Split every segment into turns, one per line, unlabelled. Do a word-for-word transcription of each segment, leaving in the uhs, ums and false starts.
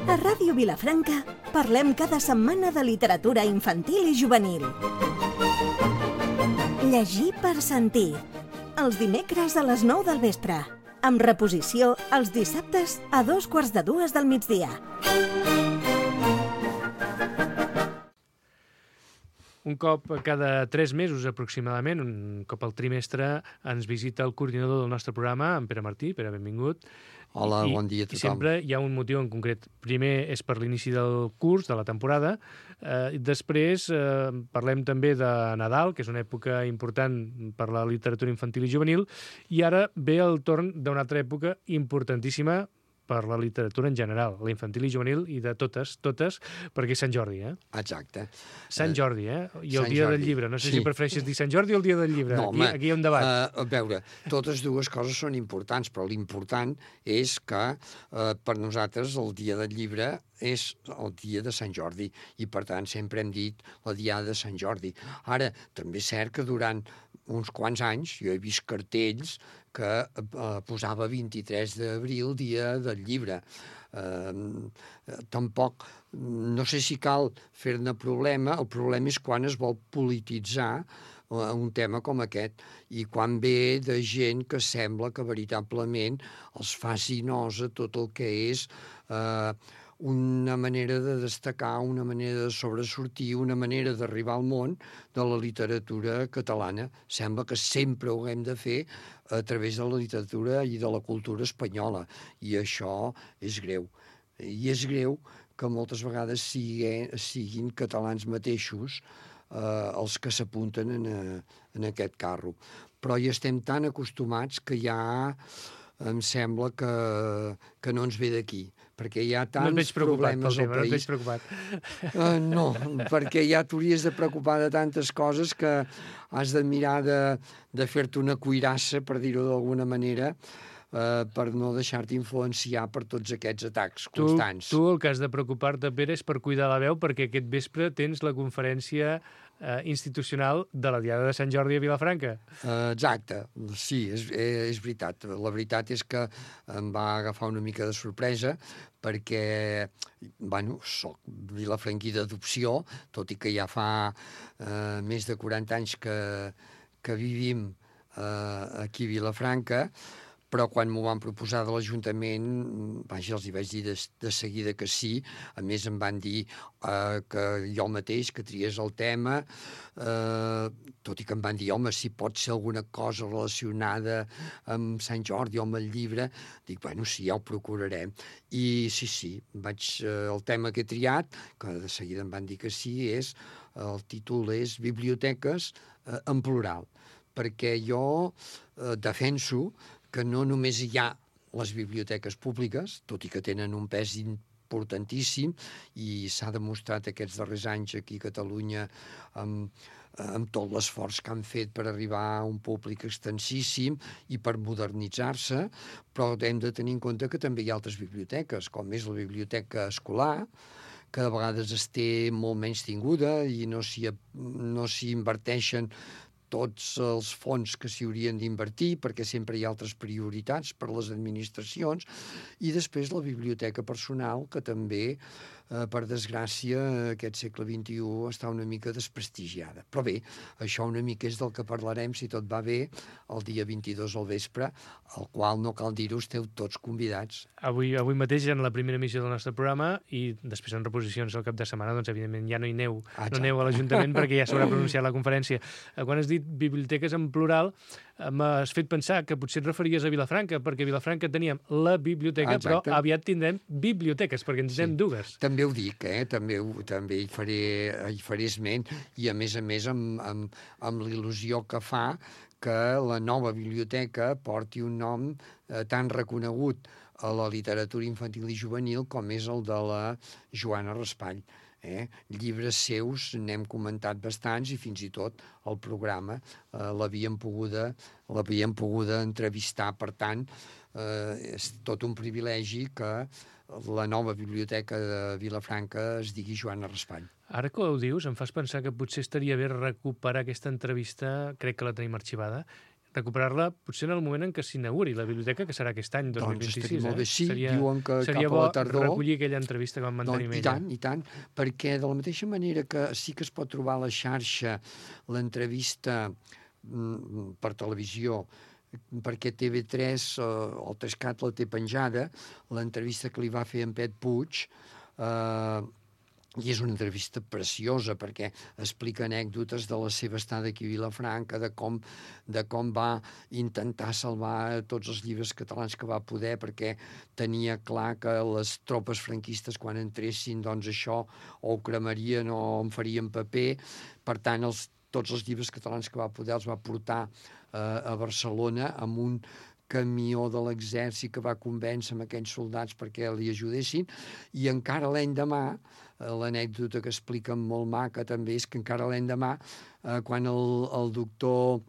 A Ràdio Vilafranca parlem cada setmana de literatura infantil i juvenil. Llegir per sentir. Els dimecres a les nou del vespre. Amb reposició els dissabtes a dos quarts de dues del migdia.
Un cop cada tres mesos aproximadament, un cop al trimestre, ens visita el coordinador del nostre programa, en Pere Martí. Pere, benvingut.
Hola,
I,
bon dia a tothom.
I sempre hi ha un motiu en concret. Primer és per l'inici del curs, de la temporada. Eh, després eh, parlem també de Nadal, que és una època important per la literatura infantil i juvenil. I ara ve el torn d'una altra època importantíssima per la literatura en general, la infantil i juvenil, i de totes, totes, perquè és Sant Jordi, eh?
Exacte.
Sant Jordi, eh? I el
Sant
dia
Jordi.
del llibre. No sé
Sí.
si prefereixes dir Sant Jordi o el dia del llibre.
No,
aquí,
home,
aquí hi ha un debat.
Uh, a veure, totes dues coses són importants, però l'important és que uh, per nosaltres el dia del llibre és el dia de Sant Jordi i, per tant, sempre hem dit la diada de Sant Jordi. Ara, també és cert que durant uns quants anys jo he vist cartells que eh, posava vint-i-tres d'abril, dia del llibre. Eh, tampoc, no sé si cal fer-ne problema, el problema és quan es vol polititzar un tema com aquest i quan ve de gent que sembla que veritablement els faci nosa tot el que és eh, una manera de destacar, una manera de sobresortir, una manera d'arribar al món de la literatura catalana. Sembla que sempre ho hem de fer a través de la literatura i de la cultura espanyola, i això és greu. I és greu que moltes vegades sigui, siguin catalans mateixos eh, els que s'apunten en, en aquest carro. Però hi estem tan acostumats que ja em sembla que, que no ens ve d'aquí, perquè hi ha tants problemes al país.
No et veig preocupat.
Uh, no, perquè ja t'hauries de preocupar de tantes coses que has de mirar de, de fer-te una cuirassa, per dir-ho d'alguna manera, uh, per no deixar-te influenciar per tots aquests atacs constants.
Tu, tu el que has de preocupar-te, Pere, és per cuidar la veu, perquè aquest vespre tens la conferència eh, institucional de la Diada de Sant Jordi a Vilafranca.
Uh, exacte, sí, és, és veritat. La veritat és que em va agafar una mica de sorpresa perquè, bueno, soc vilafranquí d'adopció, tot i que ja fa uh, més de quaranta anys que, que vivim uh, aquí a Vilafranca, però quan m'ho van proposar de l'Ajuntament, vaja, els hi vaig dir de, de seguida que sí. A més, em van dir eh, que jo mateix, que triés el tema, eh, tot i que em van dir, home, si pot ser alguna cosa relacionada amb Sant Jordi o amb el llibre, dic, bueno, sí, ja ho procurarem. I sí, sí, vaig, eh, el tema que he triat, que de seguida em van dir que sí, és, el títol és Biblioteques eh, en plural, perquè jo eh, defenso que no només hi ha les biblioteques públiques, tot i que tenen un pes importantíssim, i s'ha demostrat aquests darrers anys aquí a Catalunya amb, amb tot l'esforç que han fet per arribar a un públic extensíssim i per modernitzar-se, però hem de tenir en compte que també hi ha altres biblioteques, com és la biblioteca escolar, que a vegades es té molt menys tinguda i no s'hi no s'hi inverteixen tots els fons que s'hi haurien d'invertir, perquè sempre hi ha altres prioritats per les administracions, i després la biblioteca personal, que també, eh, per desgràcia, aquest segle vint-i-u està una mica desprestigiada. Però bé, això una mica és del que parlarem, si tot va bé, el dia vint-i-dos al vespre, al qual, no cal dir-ho, esteu tots convidats.
Avui, avui mateix, en la primera emissió del nostre programa, i després en reposicions al cap de setmana, doncs evidentment ja no hi neu, no neu a l'Ajuntament perquè ja s'haurà pronunciat la conferència. Quan has dit biblioteques en plural, m'has fet pensar que potser et referies a Vilafranca, perquè a Vilafranca teníem la biblioteca,
Exacte.
però aviat tindrem biblioteques, perquè en tindrem sí. dues.
També ho dic, eh? també, també hi, faré, hi faré esment, i a més a més amb, amb, amb l'il·lusió que fa que la nova biblioteca porti un nom eh, tan reconegut a la literatura infantil i juvenil com és el de la Joana Raspall. Eh? Llibres seus n'hem comentat bastants i fins i tot el programa eh, l'havíem poguda, l'havíem poguda entrevistar. Per tant, eh, és tot un privilegi que la nova biblioteca de Vilafranca es digui Joana Raspall.
Ara que ho dius, em fas pensar que potser estaria bé recuperar aquesta entrevista, crec que la tenim arxivada, recuperar-la potser en el moment en què s'inauguri la biblioteca, que serà aquest any, dos mil
Doncs
vint-i-sis.
estaria molt bé, sí,
seria,
diuen que
seria
cap a
bo
la tardor...
recollir aquella entrevista que vam mantenir
Doncs,
amb
I
ella.
tant, i tant, perquè de la mateixa manera que sí que es pot trobar a la xarxa l'entrevista mm, per televisió, perquè T V tres eh, o el tres cat la té penjada, l'entrevista que li va fer en Pet Puig, eh, i és una entrevista preciosa perquè explica anècdotes de la seva estada aquí a Vilafranca, de com, de com va intentar salvar tots els llibres catalans que va poder, perquè tenia clar que les tropes franquistes quan entressin, doncs això o ho cremarien o en farien paper. Per tant, els, tots els llibres catalans que va poder els va portar eh, a Barcelona amb un camió de l'exèrcit que va convèncer amb aquells soldats perquè li ajudessin, i encara l'endemà, l'anècdota que expliquen molt maca també és que encara l'endemà, eh, quan el, el doctor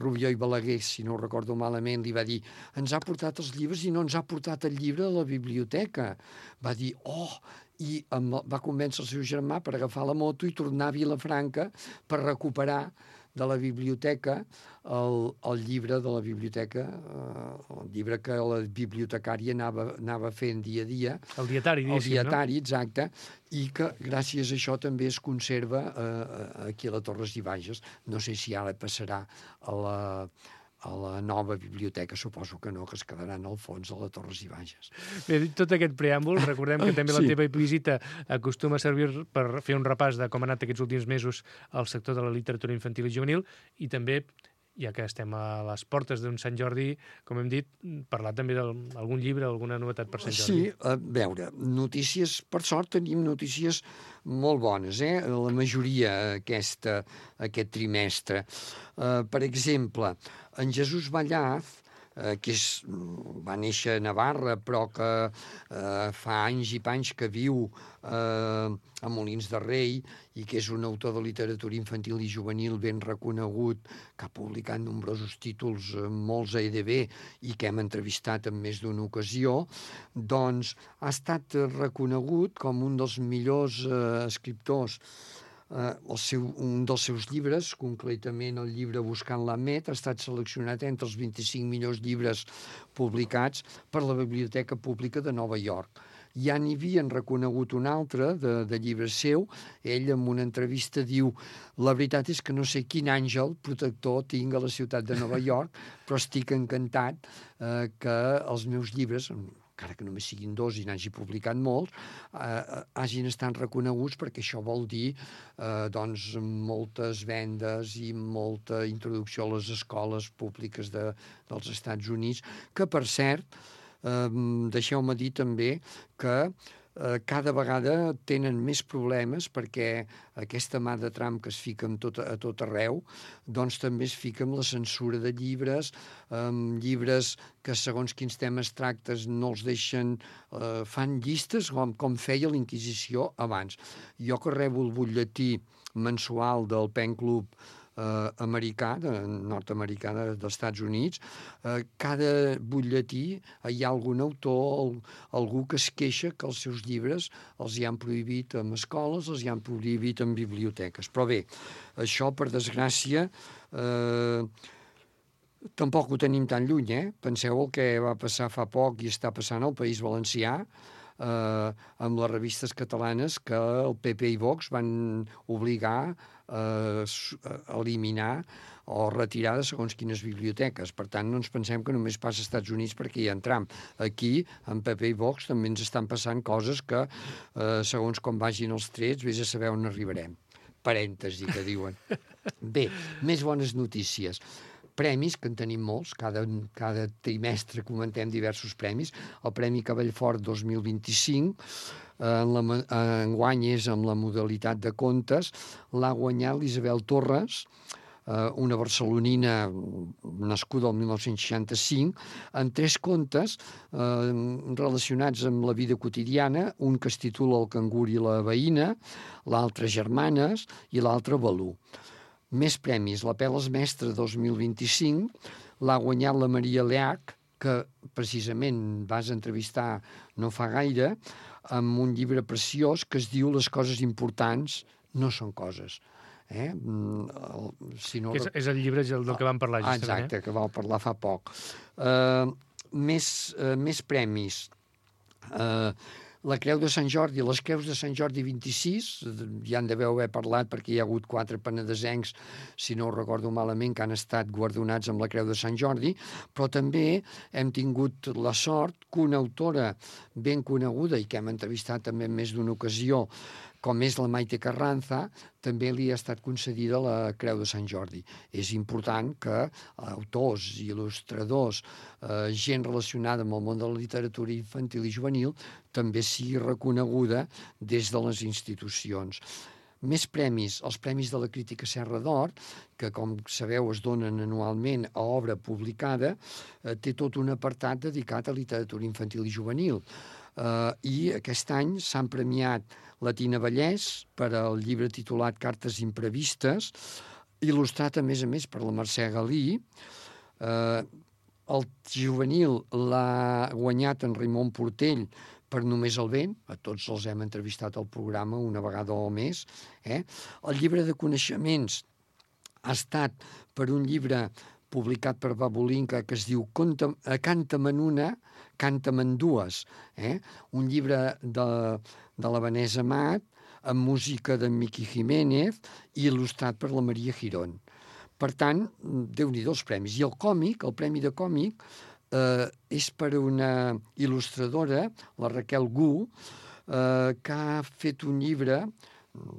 Rubió i Balaguer, si no ho recordo malament, li va dir ens ha portat els llibres i no ens ha portat el llibre a la biblioteca. Va dir, oh, i amb, va convèncer el seu germà per agafar la moto i tornar a Vilafranca per recuperar de la biblioteca el, el llibre de la biblioteca, eh, el llibre que la bibliotecària anava, anava fent dia a dia.
El dietari,
El dietari,
no?
exacte, i que gràcies a això també es conserva eh, aquí a la Torres i Bages. No sé si ara passarà a la, a la nova biblioteca, suposo que no, que es quedaran al fons de la Torres i Bages.
Bé, dit tot aquest preàmbul, recordem que també la
Sí.
teva visita acostuma a servir per fer un repàs de com ha anat aquests últims mesos al sector de la literatura infantil i juvenil, i també, ja que estem a les portes d'un Sant Jordi, com hem dit, parlar també d'algun llibre, alguna novetat per Sant Jordi.
Sí, a veure, notícies, per sort tenim notícies molt bones, eh? La majoria aquesta, aquest trimestre. Uh, per exemple, en Jesús Vallaz, eh, que és, va néixer a Navarra, però que eh, fa anys i panys que viu eh, a Molins de Rei, i que és un autor de literatura infantil i juvenil ben reconegut, que ha publicat nombrosos títols, eh, molts a E D B, i que hem entrevistat en més d'una ocasió, doncs ha estat reconegut com un dels millors eh, escriptors. Uh, el seu, un dels seus llibres, concretament el llibre Buscant la Met, ha estat seleccionat entre els vint-i-cinc millors llibres publicats per la Biblioteca Pública de Nova York. Ja n'hi havien reconegut un altre de, de llibre seu. Ell, en una entrevista, diu la veritat és que no sé quin àngel protector tinc a la ciutat de Nova York, però estic encantat eh, que els meus llibres, encara que només siguin dos i n'hagi publicat molts, eh, hagin estat reconeguts, perquè això vol dir eh, doncs, moltes vendes i molta introducció a les escoles públiques de, dels Estats Units, que, per cert, eh, deixeu-me dir també que eh, cada vegada tenen més problemes, perquè aquesta mà de Trump que es fica amb tot, a tot arreu, doncs també es fica amb la censura de llibres, amb llibres que segons quins temes tractes no els deixen, eh, fan llistes com, com feia la Inquisició abans. Jo que rebo el butlletí mensual del Pen Club eh, americà, de, nord-americà de, dels Estats Units, eh, cada butlletí hi ha algun autor, el, algú que es queixa que els seus llibres els hi han prohibit en escoles, els hi han prohibit en biblioteques. Però bé, això, per desgràcia, eh, tampoc ho tenim tan lluny, eh? Penseu el que va passar fa poc i està passant al País Valencià, eh, amb les revistes catalanes, que el P P i Vox van obligar eh, a eliminar o retirar de segons quines biblioteques. Per tant, no ens pensem que només passa als Estats Units perquè hi ha en Trump. Aquí, amb P P i Vox, també ens estan passant coses que, eh, segons com vagin els trets, vés a saber on arribarem. Parèntesi, que diuen. Bé, més bones notícies. Premis, que en tenim molts, cada, cada trimestre comentem diversos premis. El Premi Cavallfort dos mil vint-i-cinc, en la, enguany és amb la modalitat de contes, l'ha guanyat l'Isabel Torres, una barcelonina nascuda el mil nou-cents seixanta-cinc, en tres contes eh, relacionats amb la vida quotidiana, un que es titula El cangur i la veïna, l'altre Germanes i l'altre Balú. Més premis. La Peles Mestre dos mil vint-i-cinc l'ha guanyat la Maria Leach, que precisament vas entrevistar no fa gaire, amb un llibre preciós que es diu Les coses importants no són coses. Eh? El, si no...
és, és el llibre del, del que vam parlar,
ah,
justament.
exacte, eh? que vau parlar fa poc. Uh, més, uh, més premis. Uh, la Creu de Sant Jordi, les Creus de Sant Jordi vint-i-sis, ja en deveu haver parlat perquè hi ha hagut quatre penedesencs, si no ho recordo malament, que han estat guardonats amb la Creu de Sant Jordi, però també hem tingut la sort que una autora ben coneguda i que hem entrevistat també en més d'una ocasió, com és la Maite Carranza, també li ha estat concedida la Creu de Sant Jordi. És important que autors, il·lustradors, eh, gent relacionada amb el món de la literatura infantil i juvenil també sigui reconeguda des de les institucions. Més premis, els Premis de la Crítica Serra d'Or, que com sabeu es donen anualment a obra publicada, eh, té tot un apartat dedicat a literatura infantil i juvenil. Uh, i aquest any s'han premiat la Tina Vallès per al llibre titulat Cartes imprevistes, il·lustrat a més a més per la Mercè Galí. Uh, el juvenil l'ha guanyat en Raimon Portell per Només el vent, a tots els hem entrevistat al programa una vegada o més. Eh? El llibre de coneixements ha estat per un llibre publicat per Babulinka que es diu Canta-me'n una, Canta-me'n dues, eh? Un llibre de, de la Vanessa Amat, amb música de Miki Jiménez i il·lustrat per la Maria Girón. Per tant, Déu-n'hi-do els premis. I el còmic, el premi de còmic, eh, és per una il·lustradora, la Raquel Gu, eh, que ha fet un llibre,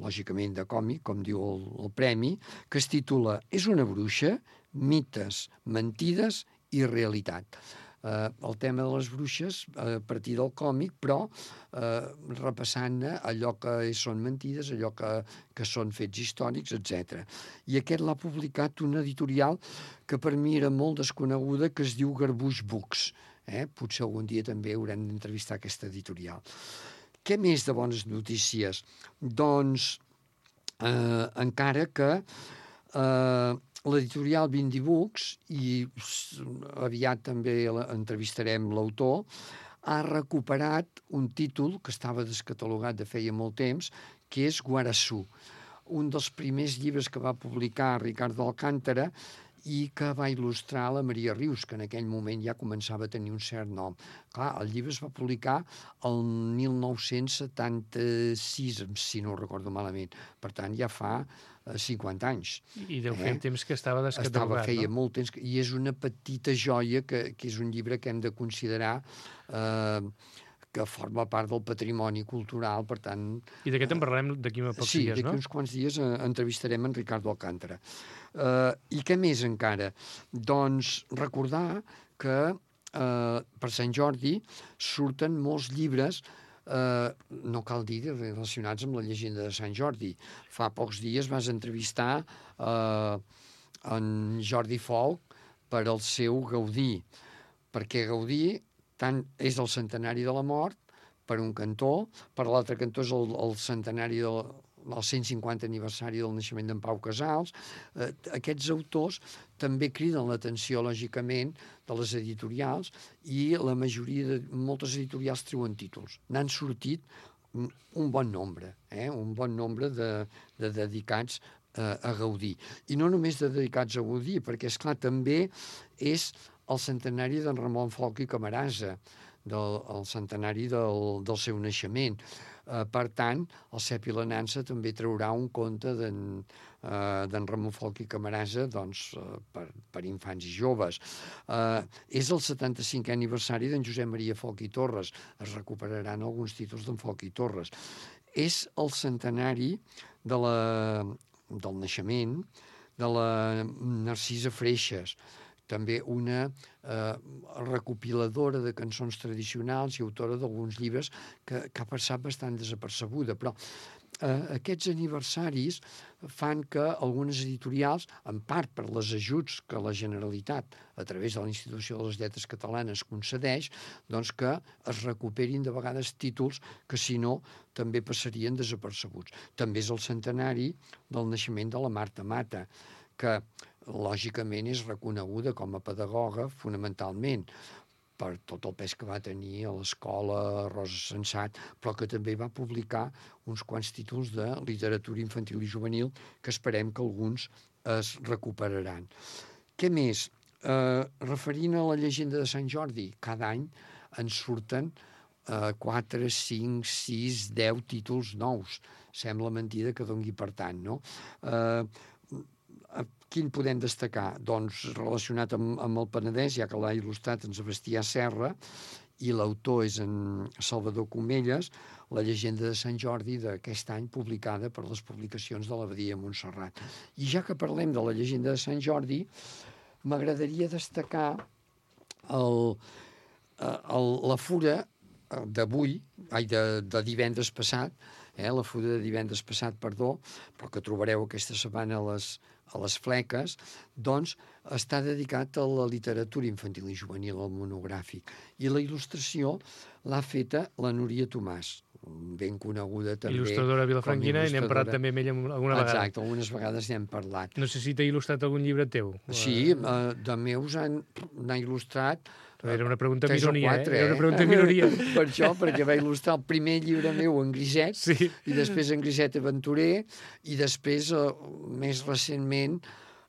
lògicament de còmic, com diu el, el premi, que es titula És una bruixa, mites, mentides i realitat. Eh, el tema de les bruixes a partir del còmic, però eh, repassant allò que són mentides, allò que, que són fets històrics, etcètera. I aquest l'ha publicat una editorial que per mi era molt desconeguda, que es diu Garbuix Books. Eh? Potser algun dia també haurem d'entrevistar aquesta editorial. Què més de bones notícies? Doncs eh, encara que eh, l'editorial Bindi Books, i aviat també entrevistarem l'autor, ha recuperat un títol que estava descatalogat de feia molt temps, que és Guarassú, un dels primers llibres que va publicar Ricardo Alcántara i que va il·lustrar la Maria Rius, que en aquell moment ja començava a tenir un cert nom. Clar, el llibre es va publicar el mil nou-cents setanta-sis, si no ho recordo malament. Per tant, ja fa cinquanta anys.
I deu fer eh? temps que estava descatalogat,
estava, feia
no?
molt temps, i és una petita joia que, que és un llibre que hem de considerar eh, que forma part del patrimoni cultural, per tant...
I d'aquest en parlarem d'aquí a pocs
sí,
dies, no? Sí,
d'aquí uns quants dies eh, entrevistarem en Ricardo Alcántara. Eh, I què més encara? Doncs recordar que eh, per Sant Jordi surten molts llibres, Uh, no cal dir relacionats amb la llegenda de Sant Jordi. Fa pocs dies vas entrevistar uh, en Jordi Folk per al seu Gaudí, perquè Gaudí tant és el centenari de la mort per un cantó, per l'altre cantó és el, el centenari del el cent cinquanta aniversari del naixement d'en Pau Casals. Eh, aquests autors també criden l'atenció, lògicament, de les editorials, i la majoria de moltes editorials treuen títols. N'han sortit un bon nombre, eh? un bon nombre de, de dedicats eh, a Gaudí. I no només de dedicats a Gaudí, perquè, esclar, també és el centenari d'en Ramon Folch i Camarasa, del el centenari del, del seu naixement. Uh, per tant, el Cep i la Nansa també traurà un conte d'en uh, Ramon Folch i Camarasa, doncs, uh, per, per infants i joves. Uh, és el setanta-cinquè aniversari d'en Josep Maria Folch i Torres. Es recuperaran alguns títols d'en Folch i Torres. És el centenari de la, del naixement de la Narcisa Freixas, també una eh, recopiladora de cançons tradicionals i autora d'alguns llibres que, que ha passat bastant desapercebuda. Però eh, aquests aniversaris fan que algunes editorials, en part per les ajuts que la Generalitat, a través de la Institució de les Lletres Catalanes, concedeix, doncs que es recuperin de vegades títols que, si no, també passarien desapercebuts. També és el centenari del naixement de la Marta Mata, que lògicament és reconeguda com a pedagoga fonamentalment, per tot el pes que va tenir a l'escola Rosa Sensat, però que també va publicar uns quants títols de literatura infantil i juvenil que esperem que alguns es recuperaran. Què més? Eh, referint a la llegenda de Sant Jordi, cada any ens surten eh, quatre, cinc, sis, deu títols nous. Sembla mentida que dongui per tant, no? Eh, quin podem destacar? Doncs relacionat amb, amb el Penedès, ja que l'ha il·lustrat en Sebastià Serra, i l'autor és en Salvador Comelles, la llegenda de Sant Jordi d'aquest any publicada per les publicacions de l'Abadia Montserrat. I ja que parlem de la llegenda de Sant Jordi, m'agradaria destacar el, el, la fura d'avui, ai, de, de divendres passat, eh, la fura de divendres passat, perdó, però que trobareu aquesta setmana a les, a les fleques, doncs està dedicat a la literatura infantil i juvenil, al monogràfic. I la il·lustració l'ha feta la Núria Tomàs, ben coneguda també.
Il·lustradora vilafranquina, i n'hem parlat també amb ella alguna vegada.
Exacte, algunes vegades n'hem parlat.
No sé si t'ha il·lustrat algun llibre teu.
Sí, uh, de meus n'ha il·lustrat
Era una pregunta
tres
minoria,
o quatre,
eh? Era una
eh?
pregunta minoria.
Per això, perquè va il·lustrar el primer llibre meu en griset,
sí.
I després en griset aventurer, i després, uh, més recentment,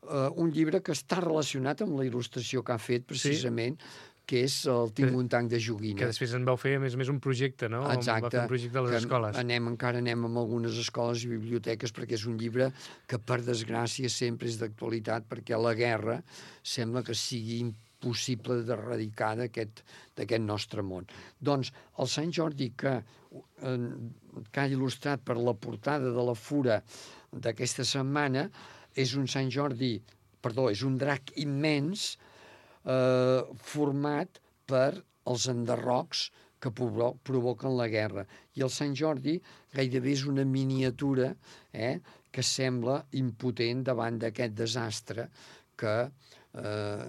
uh, un llibre que està relacionat amb la il·lustració que ha fet, precisament, sí. que és el Tinc un tanc de joguina.
Que després en vau fer, a més a més, un projecte, no?
Exacte.
Va fer un projecte a les escoles.
Anem, encara anem amb algunes escoles i biblioteques, perquè és un llibre que, per desgràcia, sempre és d'actualitat, perquè la guerra sembla que sigui possible d'erradicar d'aquest nostre món. Doncs el Sant Jordi que, eh, que ha il·lustrat per la portada de la fura d'aquesta setmana és un Sant Jordi, perdó, és un drac immens eh, format per els enderrocs que provoquen la guerra. I el Sant Jordi gairebé és una miniatura eh, que sembla impotent davant d'aquest desastre que Eh,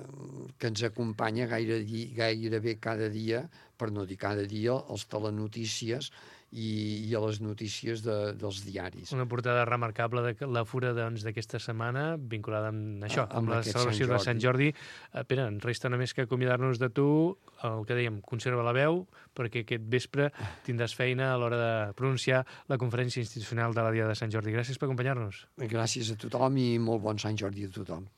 que ens acompanya gaire, gairebé cada dia, per no dir cada dia, als telenotícies i, i a les notícies de, dels diaris.
Una portada remarcable de la fura d'aquesta doncs, setmana, vinculada amb això,
a,
amb, amb la celebració de Sant Jordi. Eh, Pere, ens resta només que acomiadar-nos de tu, el que dèiem, conserva la veu, perquè aquest vespre tindràs feina a l'hora de pronunciar la conferència institucional de la Dia de Sant Jordi. Gràcies per acompanyar-nos.
Gràcies a tothom i molt bon Sant Jordi a tothom.